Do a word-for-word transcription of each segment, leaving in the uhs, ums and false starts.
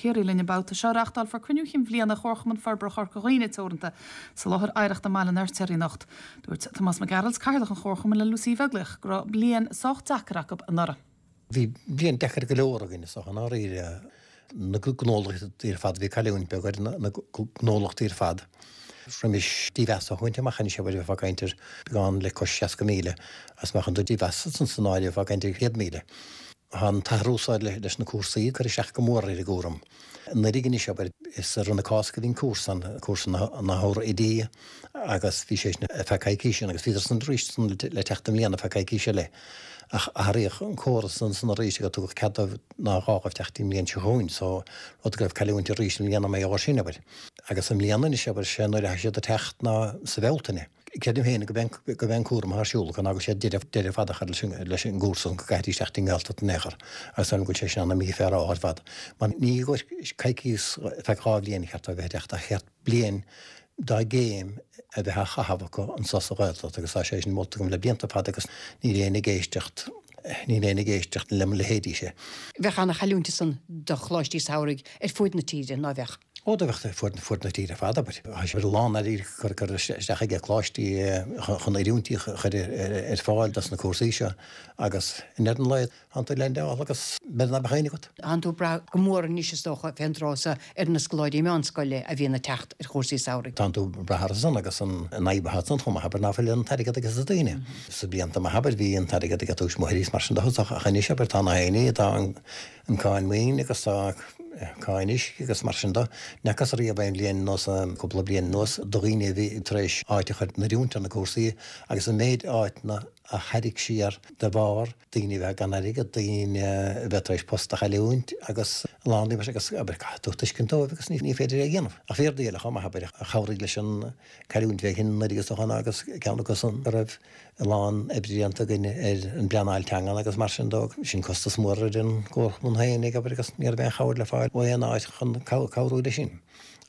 Ciarraí linn an babhta seo. Reáchtálfar cruinniú cinn bhliana Chomharchumann Forbartha Chorca Dhuibhne Teoranta sa láthair oidhreachta i mBaile an Fheirtéaraigh anocht. Dúirt Tomás Mac Gearailt, Cathaoirleach an Chomharchumainn le Lucy Uí Bheaglaoich go raibh bliain sách deacair acu anuraidh. Bhí bliain deacair go leor againn is an áiríre na gnólachtaí ar fad bhí cailliúint beag ar na gnólachtaí ar fad. Roimis dímheas a thabhairt amach anois bheifeá ag caint ar beagán le cois seasca míle as má chuireann tú dímheas san áireamh bheifeá ag caint ar chéad míle. Tá an t-athrú seo leis na cúrsaí ag cur isteach go mór ar an gcúram. Anuraidh anois abair is i rith na Cásca a bhí an cúrsa an, cúrsa na hOidí agus bhí sé sin ar feadh coicíse agus bhíodar san arís san le teacht i mbliana ar feadh coicíse eile. Ach athraíodh an córas ansan arís agus tugadh cead dóibh nár ghá dóibh teacht i mbliain seo chugainn so rud go raibh cailliúint arís i mbliana mar gheall air sin abair. Agus i mbliana anois abair sé nuair a tha siad ag teacht ná sa Bhealtaine. Creidim féin go mbeidh an cúram atá ar siúl acu ná go bhfuil siad deireadh deireadh fada a chur leis an leis an gcúrsa go gcaithfidís teacht i nGaeltacht in aon chor agus go bhfuil sé sin ana mífhéaráilte ar fad. Mar ní i gcomhair coicís ar feadh dhá bhliain a cheart dóibh a bheith ag teacht ach cheart bliain dá gcéim a bheith á chaitheamh acu anso sa Ghaeltacht agus tá sé sin molta agam le blianta fada agus níl éinne ag éisteacht níl éinne ag éisteacht le mo leithéidíse. Bheadh ana-chailliúint ansan do choláistí samhraidh ar fuaid na tíre, ná bheadh? Ó do bheadh fuaid fuaid na tíre ar fad, abair. Tá sé a lán airgid cur cur isteach aige coláistí chun oiriúintí a chur ar fáil dos na cúrsaí seo agus i ndeireadh an lae tánn tú leaindeáil agus b'fhéidir ná beadh éinne agat. Tánn tú ag brath go mór anois is dócha fén dtráth so ar na scoláirí meánscoile a bhíonn ag teacht ar chúrsaí samhraidh. Tánn tú ag brath orthu san agus an fhadhb atá ansan chomh maith abair ná fuil an t-airgead aige na daoine. Sa blianta maith abair bhí an t-airgead aige tuismitheoirí is mar sin de ach anois abair tá na héinne tá an an cáin maoin agus tá cáin uisce agus mar sin de. N'fhacthas riamh aon bhliain anuas, cúpla bliain anuas, do dhaoine a bhí tar éis áit a chur in oiriúint ar na cúrsaí agus an méid áiteanna a tharraing siar de bharr daoine a bheith gan airgead, daoine a bheith tar éis post a chailliúint agus a lán daoine mar sin agus abair caithfidh tú tuiscint dóibh agus ní féidir é a dhéanamh. Ach bhí rudaí eile chomh maith abair a chabhraigh leis an cailliúint bheag sin anuraidh is dócha ná agus ceann acu san go raibh a lán oibre déanta againn ar an bpleanáil teangan agus mar sin de. Sin costas mór ar an gcomharchumann féinig, abair, agus ní raibh aon chabhair le fáil ó aon áit chun cabhrú leis sin.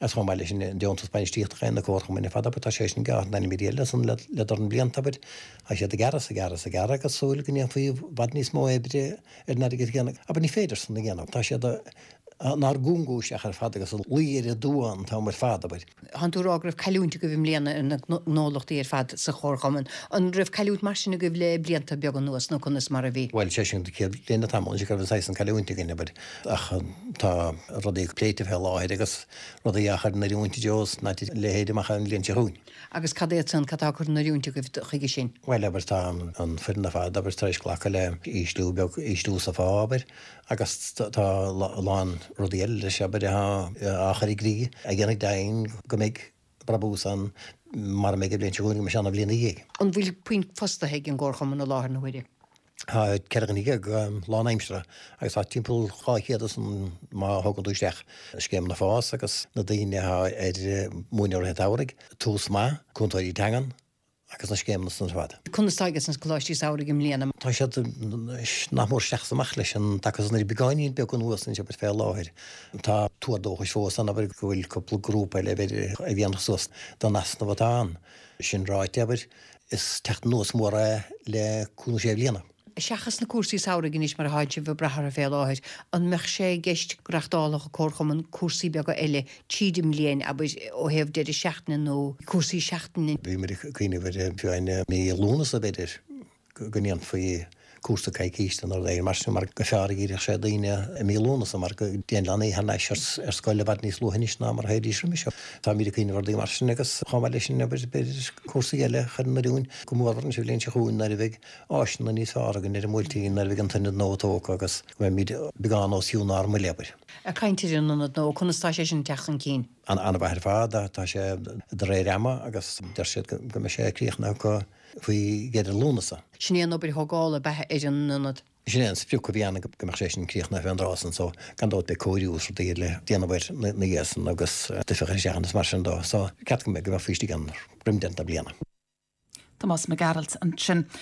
Agus chomh maith leis sin, an deontas bainistíochta a fhaigheann na comharchumainn ar fad, abair, tá sé sin gearrtha in ainm eile san le le dorn blianta, abair. Tá siad ag gearradh is ag gearradh is ag gearradh agus súil go ndéanfaí i bhfad níos mó oibre ar an airgead céanna. Abair, ní féidir san a dhéanamh. Tá siad inár gcúngú isteach ar fad agus ag luí ar an dtua an t-am ar fad, abair. Tánn tú ag rá go raibh cailliúint agaibh i mbliana ar na gnólachtaí ar fad sa chomharchumann. An raibh cailliúint mar sin agaibh le blianta beaga anuas nó conas mar a bhí? Bhuel, sé sin an chéad bhliain le tamall anois go raibh an saghas san cailliúint againn, abair, ach tá rudaí pléite fé láthair agus rudaí á chur in oiriúint i dtreo is ná leithéid amach an bhliain seo chugainn. Agus cad é san, cad tá curtha in oiriúint agaibh chuige sin? Bhuel, abair, tá an foireann ar fad, abair, tar éis glacadh le ísliú beag, ísliú sa phá, abair, Agus tá a lán rudaí eile leis, abair, atá á chur i gcrích a dhéanfaidh deimhin go mbeidh brabús ann mara mbeidh an bhliain seo chugainn go mbeidh sé ann an bhliain ina dhiaidh. An bhfuil puinn fostaithe ag an gComharchumann i láthair na huaire? Tá ceithre dhuine déag lánaimseartha agus tá timpeall dhá chéad ansan má thógann tú isteach scéimeanna FÁS agus na daoine atá ar múineadh rith an tsamhraidh. Tús maith, cúntóirí teangan, agus na scéimeanna san ar fad. Conas tá aige na coláistí samhraidh i mbliana? Tá siad nach mór isteach is amach leis an dtaca san ar beagáinín beag anuas anois abair fé láthair. Tá tuar dóchais fós ann abair go bhfuil cúpla grúpa eile b'fhéidir a dhéanfadh suas don easnamh atá ann. Sin ráite abair, is teacht anuas mór é le cúig nó sé bhliana. Seachas na cúrsaí samhraidh anois mar atánn sibh ag brath orthu fé láthair, an mbeadh sé i gceist go reachtálfadh an Comharchumann cúrsaí beaga eile tríd an mbliain, abair, ó thaobh deireadh seachtaine nó cúrsaí seachtaine? Bhí muid ag cuimhneamh ar fiú i mí Lúnasa, b'fhéidir, go ndéanfaí cúrsa coicíse nó rud éigin mar sin mar gur fearr a dhíreodh sé daoine i mí Lúnasa mar go dtéann leanaí thar n-ais ar scoil i bhfad níos luaithe anois ná mar a théidís roimhe seo. Táimid ag cuimhneamh ar rudaí mar sin agus chomh maith leis sin, abair, b'fhéidir cúrsaí eile a chur in oiriúint, go mórmhór anois an bhliain seo chugainn nuair a bheidh áiseanna níos fearr againn ar an mBuailtín nuair a bheidh an t-ionad nua tógtha agus go mbeimid beagán os cionn ár mbuille, abair. Ag caint ar an ionad nua, conas tá sé sin ag teacht chun cinn? An-mhaith ar fad, tá sé de réir ama agus deir siad go mbeidh sé críochnaithe acu faoi dheireadh Lúnasa. Sin é an obair thógála ab ea ar an ionad? Sin é an sprioc a bhí ann go mbeadh sé sin críochnaithe fén dtráth san so gan dabht beidh cóiriú is rudaí le déanamh air ina dhiaidh san agus stuif a chur isteach ann is mar sin dó so ceart go mbeadh faoi istigh ann roim deireadh na bliana. Tomás Mac Gearailt ansin.